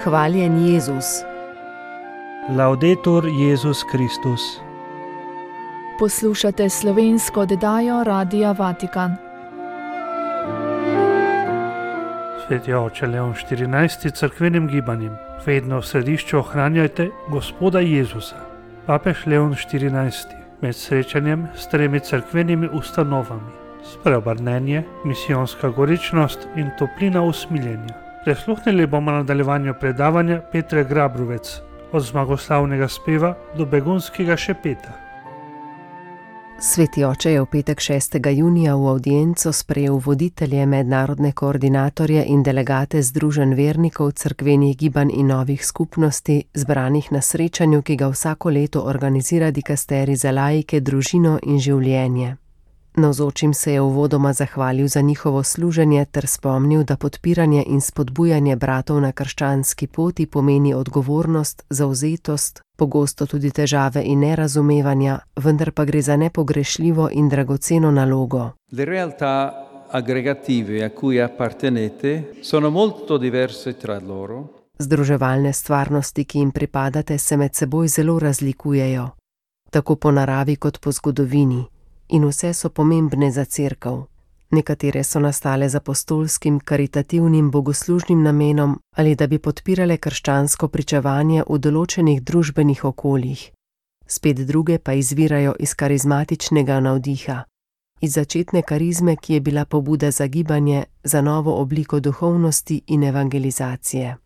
Hvaljen Jezus. Laudetur Jezus Kristus. Poslušate slovensko oddajo Radia Vatikan. Sveti oče Leon XIV. Cerkvenim gibanjem vedno v središču ohranjajte Gospoda Jezusa. Papež Leon XIV. Med srečanjem s 3 cerkvenimi ustanovami: spreobrnenje, misijonska goričnost in toplina usmiljenja. Prisluhnili bomo nadaljevanju predavanja Petre Grabrovec od zmagoslavnega speva do begunskega šepeta. Sveti oče je v petek 6. junija v avdienco sprejel voditelje, mednarodne koordinatorje in delegate združenj vernikov, cerkvenih gibanj in novih skupnosti, zbranih na srečanju, ki ga vsako leto organizira dikasterij za laike, družino in življenje. Navzočim se je uvodoma zahvalil za njihovo služenje ter spomnil, da podpiranje in spodbujanje bratov na krščanski poti pomeni odgovornost, zavzetost, pogosto tudi težave in nerazumevanja, vendar pa gre za nepogrešljivo in dragoceno nalogo. Le realtà aggregative a cui appartenete sono molto diverse tra loro. Združevalne stvarnosti, ki jim pripadate, se med seboj zelo razlikujejo, tako po naravi kot po zgodovini. In vse so pomembne za cerkev. Nekatere so nastale z apostolskim, karitativnim, bogoslužnim namenom ali da bi podpirale krščansko pričevanje v določenih družbenih okoljih. Spet druge pa izvirajo iz karizmatičnega navdiha, iz začetne karizme, ki je bila pobuda za gibanje, za novo obliko duhovnosti in evangelizacije.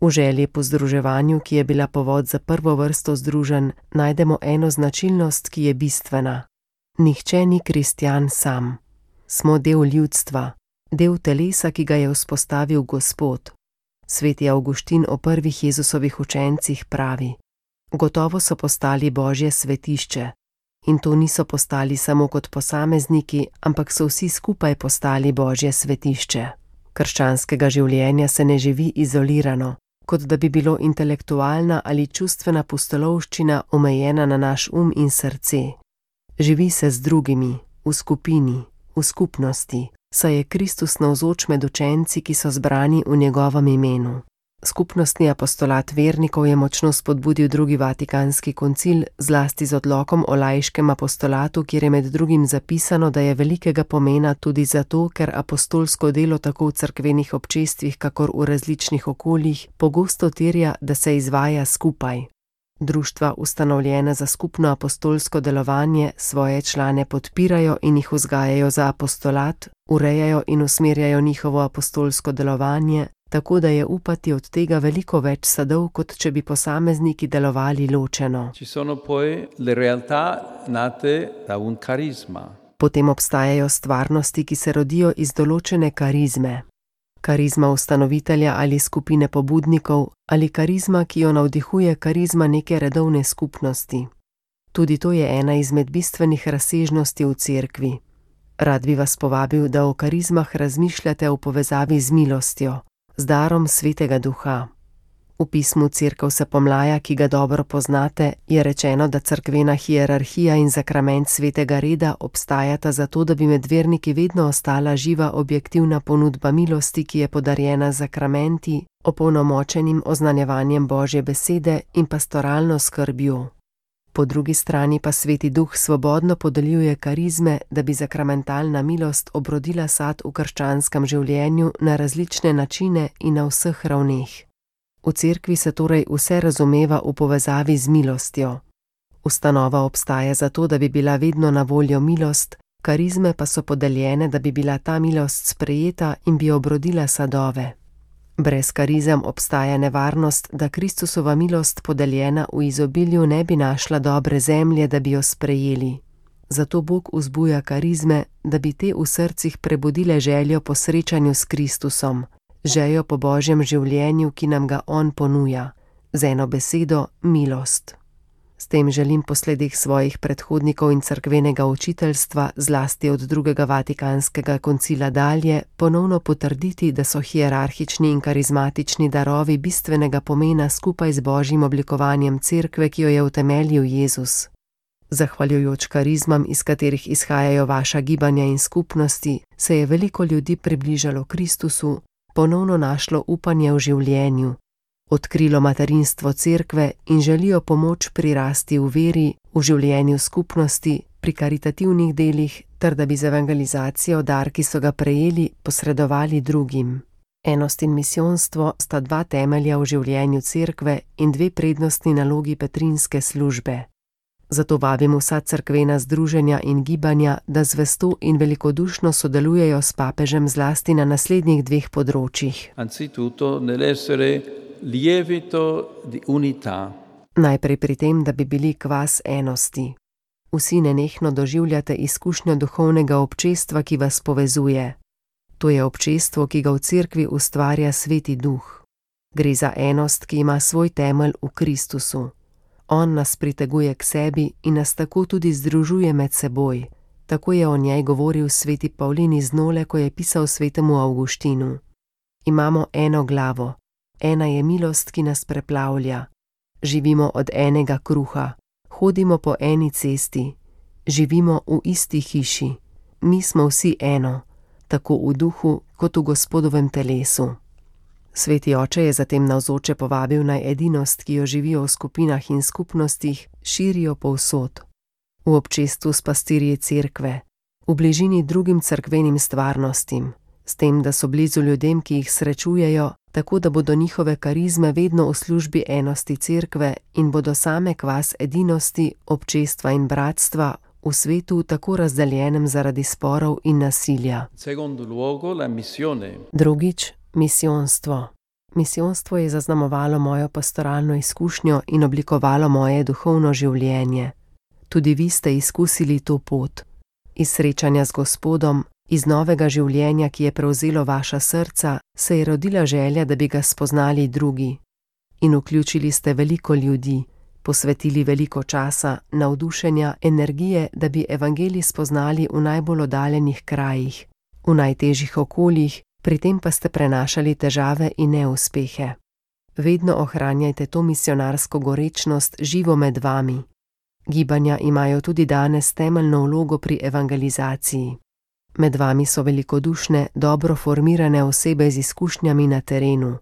V želji po združevanju, ki je bila povod za prvo vrsto združenj, najdemo eno značilnost, ki je bistvena. Nihče ni kristjan sam. Smo del ljudstva, del telesa, ki ga je vzpostavil Gospod. Sveti Avguštin o prvih Jezusovih učencih pravi: gotovo so postali Božje svetišče. In to niso postali samo kot posamezniki, ampak so vsi skupaj postali Božje svetišče. Krščanskega življenja se ne živi izolirano, kot da bi bilo intelektualna ali čustvena pustolovščina omejena na naš in srce. Živi se z drugimi, v skupini, v skupnosti, saj je Kristus navzoč med učenci, ki so zbrani v njegovem imenu. Skupnostni apostolat vernikov je močno spodbudil drugi Vatikanski koncil, zlasti z odlokom o laiškem apostolatu, kjer je med drugim zapisano, da je velikega pomena tudi zato, ker apostolsko delo tako v cerkvenih občestvih, kakor v različnih okoljih, pogosto terja, da se izvaja skupaj. Društva, ustanovljena za skupno apostolsko delovanje, svoje člane podpirajo in jih vzgajajo za apostolat, urejajo in usmerjajo njihovo apostolsko delovanje, tako da je upati od tega veliko več sadov, kot če bi posamezniki delovali ločeno. Ci sono poi le realtà nate da un carisma. Potem obstajajo stvarnosti, ki se rodijo iz določene karizme. Karizma ustanovitelja ali skupine pobudnikov, ali karizma, ki jo navdihuje karizma neke redovne skupnosti. Tudi to je ena izmed bistvenih razsežnosti v cerkvi. Rad bi vas povabil, da o karizmah razmišljate v povezavi z milostjo, z darom Svetega Duha. V pismu Cerkev se pomlaja, ki ga dobro poznate, je rečeno, da cerkvena hierarhija in zakrament svetega reda obstajata zato, da bi med verniki vedno ostala živa objektivna ponudba milosti, ki je podarjena z zakramenti, opolnomočenim oznanjevanjem Božje besede in pastoralno skrbjo. Po drugi strani pa Sveti Duh svobodno podeljuje karizme, da bi zakramentalna milost obrodila sad v krščanskem življenju na različne načine in na vseh ravneh. V cerkvi se torej vse razumeva v povezavi z milostjo. Ustanova obstaja zato, da bi bila vedno na voljo milost, karizme pa so podeljene, da bi bila ta milost sprejeta in bi obrodila sadove. Brez karizem obstaja nevarnost, da Kristusova milost podeljena v izobilju ne bi našla dobre zemlje, da bi jo sprejeli. Zato Bog vzbuja karizme, da bi te v srcih prebudile željo po srečanju s Kristusom, željo po Božjem življenju, ki nam ga On ponuja, z eno besedo milost. S tem želim po sledih svojih predhodnikov in cerkvenega učiteljstva, zlasti od drugega Vatikanskega koncila dalje, ponovno potrditi, da so hierarhični in karizmatični darovi bistvenega pomena skupaj z Božjim oblikovanjem cerkve, ki jo je utemeljil Jezus. Zahvaljujoč karizmam, iz katerih izhajajo vaša gibanja in skupnosti, se je veliko ljudi približalo Kristusu, ponovno našlo upanje v življenju, odkrilo materinstvo cerkve in želijo pomoč pri rasti v veri, v življenju skupnosti, pri karitativnih delih, ter da bi z evangelizacijo dar, ki so ga prejeli, posredovali drugim. Enost in misijonstvo sta dva temelja v življenju cerkve in dve prednostni nalogi petrinske službe. Zato vabim vsa cerkvena združenja in gibanja, da zvesto in velikodušno sodelujejo s papežem zlasti na naslednjih dveh področjih. Anzitutto nell'essere lievito di unità. Najprej pri tem, da bi bili kvas enosti. Vsi nenehno doživljate izkušnjo duhovnega občestva, ki vas povezuje. To je občestvo, ki ga v cerkvi ustvarja Sveti Duh. Gre za enost, ki ima svoj temelj v Kristusu. On nas priteguje k sebi in nas tako tudi združuje med seboj. Tako je o njej govoril sveti Pavlin iz Nole, ko je pisal svetemu Avguštinu. Imamo eno glavo, ena je milost, ki nas preplavlja. Živimo od enega kruha, hodimo po eni cesti, živimo v isti hiši. Mi smo vsi eno, tako v duhu kot v Gospodovem telesu. Sveti oče je zatem navzoče povabil naj edinost, ki jo živijo v skupinah in skupnostih, širijo povsod. V občestvu s pastirji cerkve, v bližini drugim cerkvenim stvarnostim, s tem, da so blizu ljudem, ki jih srečujejo, tako da bodo njihove karizme vedno v službi enosti cerkve in bodo same kvas edinosti, občestva in bratstva v svetu tako razdeljenem zaradi sporov in nasilja. Drugič, misijonstvo. Misijonstvo je zaznamovalo mojo pastoralno izkušnjo in oblikovalo moje duhovno življenje. Tudi vi ste izkusili to pot. Iz srečanja z Gospodom, iz novega življenja, ki je prevzelo vaša srca, se je rodila želja, da bi ga spoznali drugi. In vključili ste veliko ljudi, posvetili veliko časa, navdušenja, energije, da bi evangelij spoznali v najbolj oddaljenih krajih, v najtežjih okoljih, pri tem pa ste prenašali težave in neuspehe. Vedno ohranjajte to misionarsko gorečnost živo med vami. Gibanja imajo tudi danes temeljno vlogo pri evangelizaciji. Med vami so velikodušne, dobro formirane osebe z izkušnjami na terenu.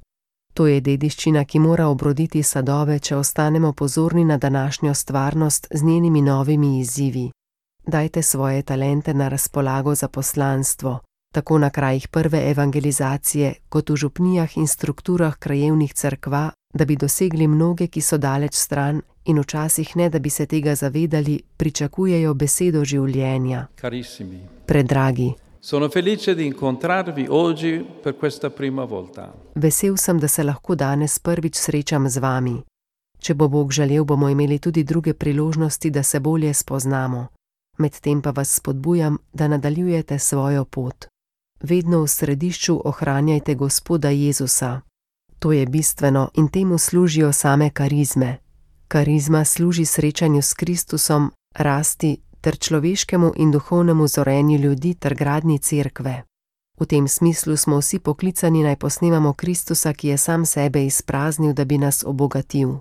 To je dediščina, ki mora obroditi sadove, če ostanemo pozorni na današnjo stvarnost z njenimi novimi izzivi. Dajte svoje talente na razpolago za poslanstvo, tako na krajih prve evangelizacije, kot v župnijah in strukturah krajevnih cerkva, da bi dosegli mnoge, ki so daleč stran in včasih ne, da bi se tega zavedali, pričakujejo besedo življenja. Carissimi. Predragi. Sono felice di incontrarvi oggi per questa prima volta. Vesel sem, da se lahko danes prvič srečam z vami. Če bo Bog želel, bomo imeli tudi druge priložnosti, da se bolje spoznamo. Medtem pa vas spodbujam, da nadaljujete svojo pot. Vedno v središču ohranjajte Gospoda Jezusa. To je bistveno in temu služijo same karizme. Karizma služi srečanju s Kristusom, rasti ter človeškemu in duhovnemu zorenju ljudi ter gradnji cerkve. V tem smislu smo vsi poklicani naj posnemamo Kristusa, ki je sam sebe izpraznil, da bi nas obogatil.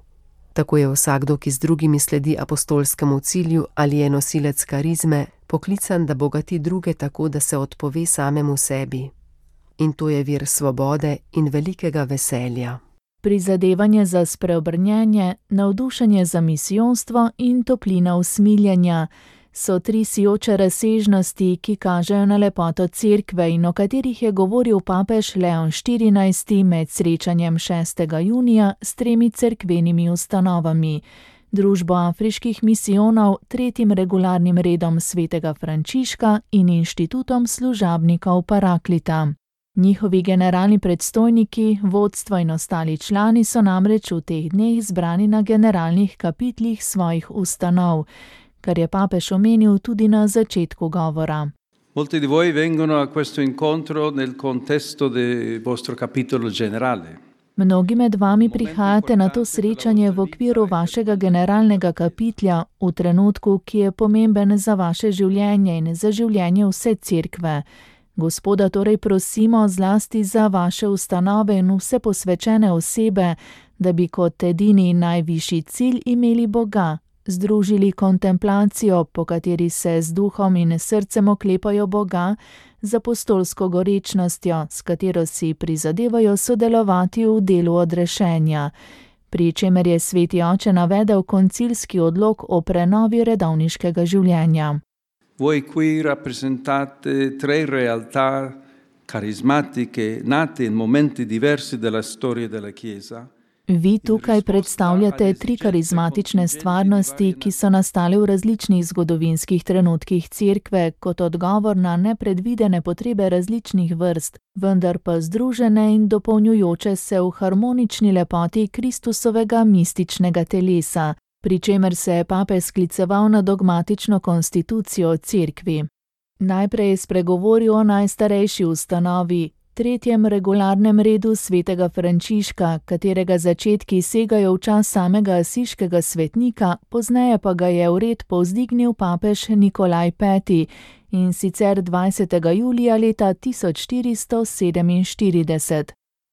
Tako je vsakdo, ki z drugimi sledi apostolskemu cilju ali je nosilec karizme, poklican, da bogati druge tako, da se odpove samemu sebi. In to je vir svobode in velikega veselja. Prizadevanje za spreobrnjenje, navdušenje za misijonstvo in toplina usmiljenja so tri sijoče razsežnosti, ki kažejo na lepoto cerkve in o katerih je govoril papež Leon XIV med srečanjem 6. junija s tremi cerkvenimi ustanovami: Družbo afriških misijonov, tretjim regularnim redom svetega Frančiška in inštitutom služabnikov Paraklita. Njihovi generalni predstojniki, vodstvo in ostali člani so namreč v teh dneh zbrani na generalnih kapitlih svojih ustanov, kar je papež omenil tudi na začetku govora. Molti di voi vengono a questo incontro nel contesto del vostro capitolo generale. Mnogi med vami prihajate na to srečanje v okviru vašega generalnega kapitlja, v trenutku, ki je pomemben za vaše življenje in za življenje vse cerkve. Gospoda torej prosimo zlasti za vaše ustanove in vse posvečene osebe, da bi kot edini in najvišji cilj imeli Boga, združili kontemplacijo, po kateri se z duhom in srcem oklepajo Boga, z apostolsko gorečnostjo, s katero si prizadevajo sodelovati v delu odrešenja, pri čemer je Sveti oče navedel koncilski odlok o prenovi redovniškega življenja. Voi qui rappresentate tre realtà carismatiche nate in momenti diversi della storia della Chiesa. Vi tukaj predstavljate tri karizmatične stvarnosti, ki so nastale v različnih zgodovinskih trenutkih Cerkve kot odgovor na nepredvidene potrebe različnih vrst, vendar pa združene in dopolnjujoče se v harmonični lepoti Kristusovega mističnega telesa, pri čemer se je papež skliceval na dogmatično konstitucijo o Cerkvi. Najprej je spregovoril o najstarejši ustanovi, tretjem regularnem redu svetega Frančiška, katerega začetki segajo v čas samega asiškega svetnika, pozneje pa ga je v red povzdignil papež Nikolaj V. in sicer 20. julija leta 1447.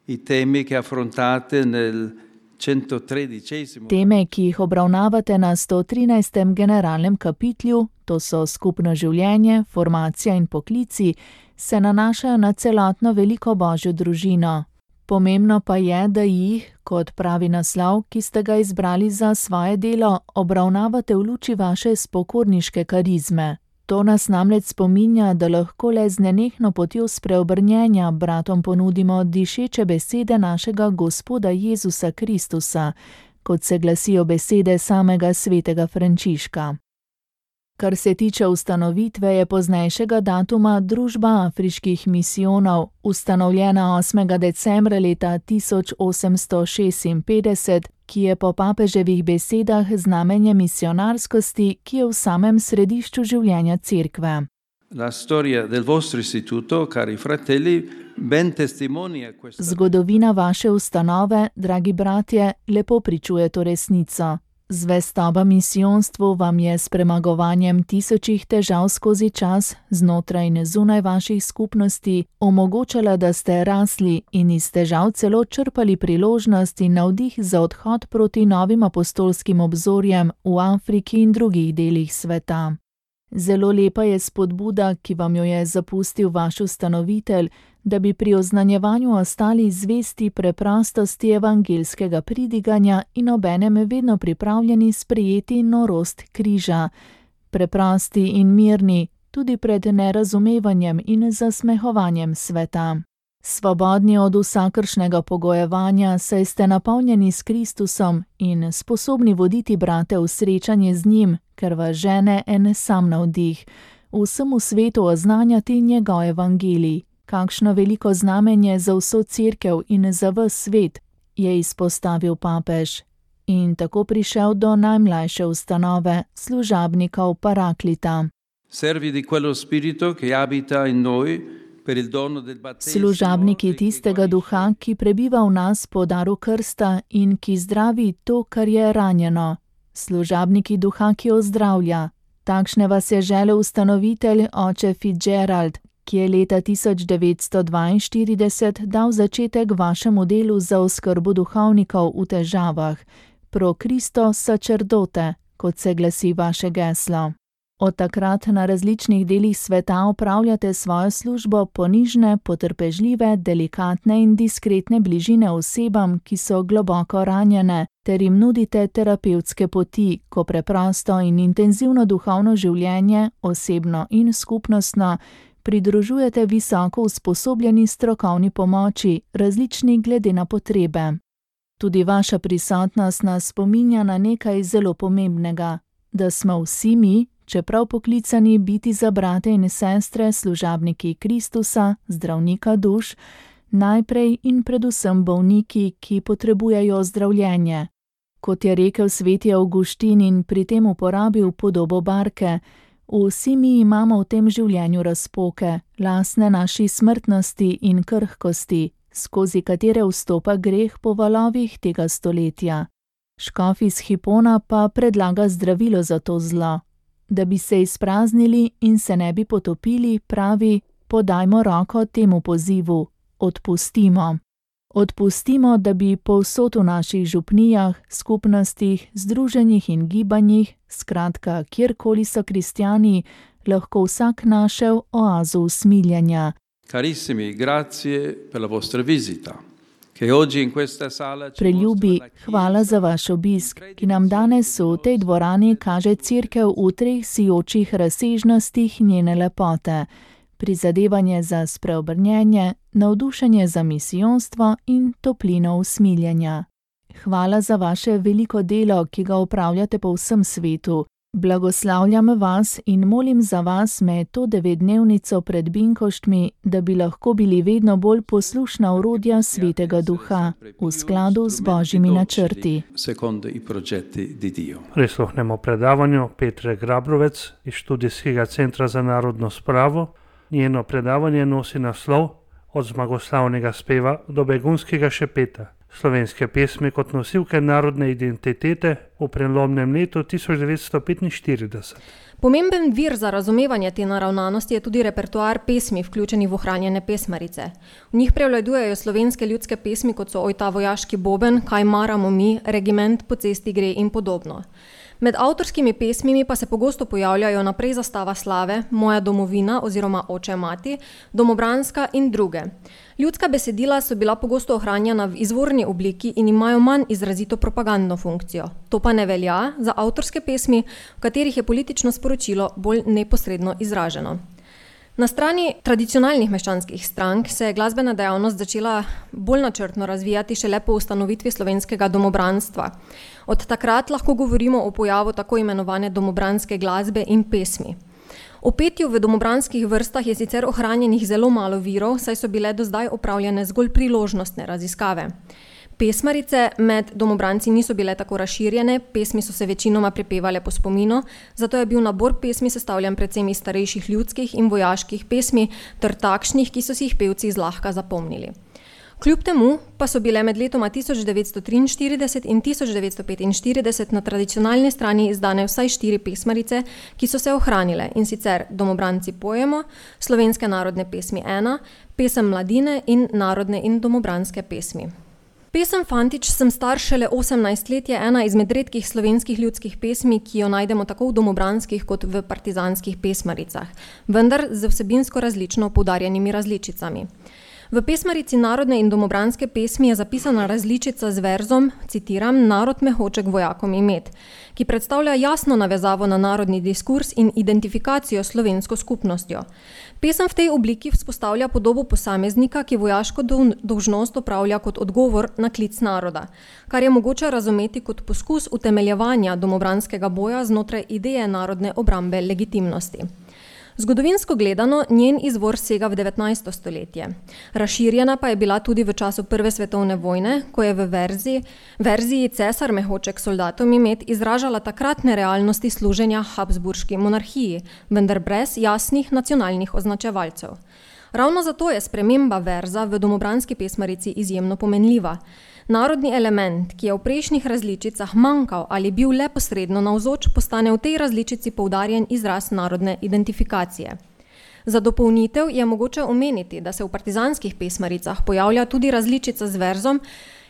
I temi che affrontate nel 113. Teme, ki jih obravnavate na 113. generalnem kapitlu, to so skupno življenje, formacija in poklici, se nanašajo na celotno veliko Božjo družino. Pomembno pa je, da jih, kot pravi naslov, ki ste ga izbrali za svoje delo, obravnavate v luči vaše spokorniške karizme. To nas namreč spominja, da lahko le z nenehno potjo spreobrnjenja bratom ponudimo dišeče besede našega Gospoda Jezusa Kristusa, kot se glasijo besede samega svetega Frančiška. Kar se tiče ustanovitve, je poznejšega datuma Družba afriških misijonov, ustanovljena 8. decembra leta 1856, ki je po papeževih besedah znamenje misionarskosti, ki je v samem središču življenja Cerkve. La storia del vostro istituto, cari fratelli, ben testimonia questa. Zgodovina vaše ustanove, dragi bratje, lepo pričuje to resnico. Zvestoba misijonstvu vam je s premagovanjem tisočih težav skozi čas, znotraj in zunaj vaših skupnosti, omogočala, da ste rasli in iz težav celo črpali priložnost in navdih za odhod proti novim apostolskim obzorjem v Afriki in drugih delih sveta. Zelo lepa je spodbuda, ki vam jo je zapustil vaš ustanovitelj, da bi pri oznanjevanju ostali zvesti preprostosti evangeljskega pridiganja in obenem vedno pripravljeni sprejeti norost križa, preprosti in mirni, tudi pred nerazumevanjem in zasmehovanjem sveta. Svobodni od vsakršnega pogojevanja, saj ste napolnjeni s Kristusom in sposobni voditi brate v srečanje z njim, ker vas žene en sam navdih, vsemu svetu oznanjati njegov evangelij. Kakšno veliko znamenje za vso Cerkev in za ves svet, je izpostavil papež. In tako prišel do najmlajše ustanove, služabnikov Paraklita. Servi di quello spirito che abita in noi. Služabniki tistega duha, ki prebiva v nas po daru krsta in ki zdravi to, kar je ranjeno. Služabniki duha, ki ozdravlja. Takšne vas je želel ustanovitelj oče Fitzgerald, ki je leta 1942 dal začetek vašemu delu za oskrbo duhovnikov v težavah, pro Cristo sacerdote, kot se glasi vaše geslo. Od takrat na različnih delih sveta opravljate svojo službo ponižne, potrpežljive, delikatne in diskretne bližine osebam, ki so globoko ranjene, ter jim nudite terapevtske poti, ko preprosto in intenzivno duhovno življenje, osebno in skupnostno, pridružujete visoko usposobljeni strokovni pomoči, različni glede na potrebe. Tudi vaša prisotnost nas spominja na nekaj zelo pomembnega, da smo vsi mi, čeprav poklicani biti za brate in sestre, služabniki Kristusa, zdravnika duš, najprej in predvsem bolniki, ki potrebujejo zdravljenje. Kot je rekel sveti Avguštin in pri tem uporabil podobo barke, vsi mi imamo v tem življenju razpoke, lastne naši smrtnosti in krhkosti, skozi katere vstopa greh po valovih tega stoletja. Škof iz Hipona pa predlaga zdravilo za to zlo. Da bi se izpraznili in se ne bi potopili, pravi, podajmo roko temu pozivu, odpustimo. Odpustimo, da bi povsod v naših župnijah, skupnostih, združenjih in gibanjih, skratka, kjerkoli so kristjani, lahko vsak našel oazo usmiljenja. Carissimi, grazie per la vostra visita. Che oggi in questa sala ci Preljubi, hvala za vaš obisk, ki nam danes v tej dvorani kaže cerkev v 3 sijočih razsežnostih njene lepote. Prizadevanje za spreobrnjenje, navdušenje za misijonstvo in toplino usmiljenja. Hvala za vaše veliko delo, ki ga opravljate po vsem svetu. Blagoslavljam vas in molim za vas med to 9-dnevnico pred Binkoštmi, da bi lahko bili vedno bolj poslušna orodja Svetega Duha, v skladu z Božjimi načrti. Secondo i progetti di Dio. Prisluhnemo predavanju Petre Grabrovec iz Študijskega centra za narodno spravo. Njeno predavanje nosi naslov Od zmagoslavnega speva do begunskega šepeta. Slovenske pesmi kot nosilke narodne identitete v prelomnem letu 1945. Pomemben vir za razumevanje te naravnanosti je tudi repertoar pesmi, vključeni v ohranjene pesmarice. V njih prevladujejo slovenske ljudske pesmi, kot so Oj ta vojaški boben, Kaj maramo mi, Regiment po cesti gre in podobno. Med avtorskimi pesmimi pa se pogosto pojavljajo Naprej zastava slave, Moja domovina oziroma Oče mati, Domobranska in druge. Ljudska besedila so bila pogosto ohranjena v izvorni obliki in imajo manj izrazito propagandno funkcijo. To pa ne velja za avtorske pesmi, v katerih je politično sporočilo bolj neposredno izraženo. Na strani tradicionalnih meščanskih strank se je glasbena dejavnost začela bolj načrtno razvijati šele po ustanovitvi slovenskega domobranstva. Od takrat lahko govorimo o pojavu tako imenovane domobranske glasbe in pesmi. O petju v domobranskih vrstah je sicer ohranjenih zelo malo virov, saj so bile do zdaj opravljene zgolj priložnostne raziskave. Pesmarice med domobranci niso bile tako razširjene, pesmi so se večinoma prepevale po spominu, zato je bil nabor pesmi sestavljen predvsem iz starejših ljudskih in vojaških pesmi ter takšnih, ki so si jih pevci zlahka zapomnili. Kljub temu pa so bile med letoma 1943 in 1945 na tradicionalni strani izdane vsaj 4 pesmarice, ki so se ohranile, in sicer Domobranci pojemo, Slovenske narodne pesmi 1, Pesem mladine in Narodne in domobranske pesmi. Pesem Fantič sem star šele 18 let je ena izmed redkih slovenskih ljudskih pesmi, ki jo najdemo tako v domobranskih kot v partizanskih pesmaricah, vendar z vsebinsko različno poudarjenimi različicami. V pesmarici Narodne in domobranske pesmi je zapisana različica z verzom, citiram, Narod me hoče k vojakom imet, ki predstavlja jasno navezavo na narodni diskurs in identifikacijo s slovensko skupnostjo. Pesem v tej obliki vzpostavlja podobo posameznika, ki vojaško dolžnost opravlja kot odgovor na klic naroda, kar je mogoče razumeti kot poskus utemeljevanja domobranskega boja znotraj ideje narodne obrambe legitimnosti. Zgodovinsko gledano, njen izvor sega v 19. stoletje. Razširjena pa je bila tudi v času Prve svetovne vojne, ko je v verziji Cesar me hoče k soldatom imet izražala takratne realnosti služenja Habsburški monarhiji, vendar brez jasnih nacionalnih označevalcev. Ravno zato je sprememba verza v domobranski pesmarici izjemno pomenljiva. Narodni element, ki je v prejšnjih različicah manjkal ali bil le posredno navzoč, postane v tej različici poudarjen izraz narodne identifikacije. Za dopolnitev je mogoče omeniti, da se v partizanskih pesmaricah pojavlja tudi različica z verzom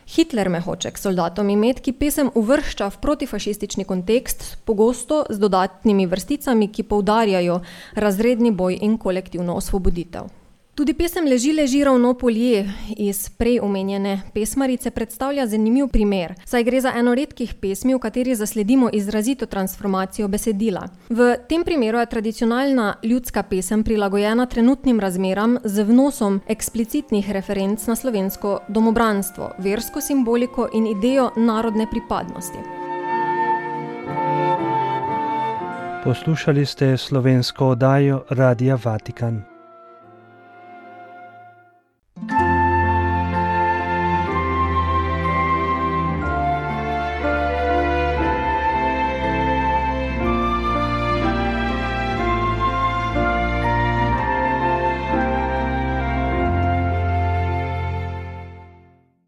Hitler me hoče k soldatom imet, ki pesem uvršča v protifašistični kontekst, pogosto z dodatnimi vrsticami, ki poudarjajo razredni boj in kolektivno osvoboditev. Tudi pesem Leži ravno polje iz prej omenjene pesmarice predstavlja zanimiv primer, saj gre za eno redkih pesmi, v kateri zasledimo izrazito transformacijo besedila. V tem primeru je tradicionalna ljudska pesem prilagojena trenutnim razmeram z vnosom eksplicitnih referenc na slovensko domobranstvo, versko simboliko in idejo narodne pripadnosti. Poslušali ste slovensko oddajo Radia Vatikan.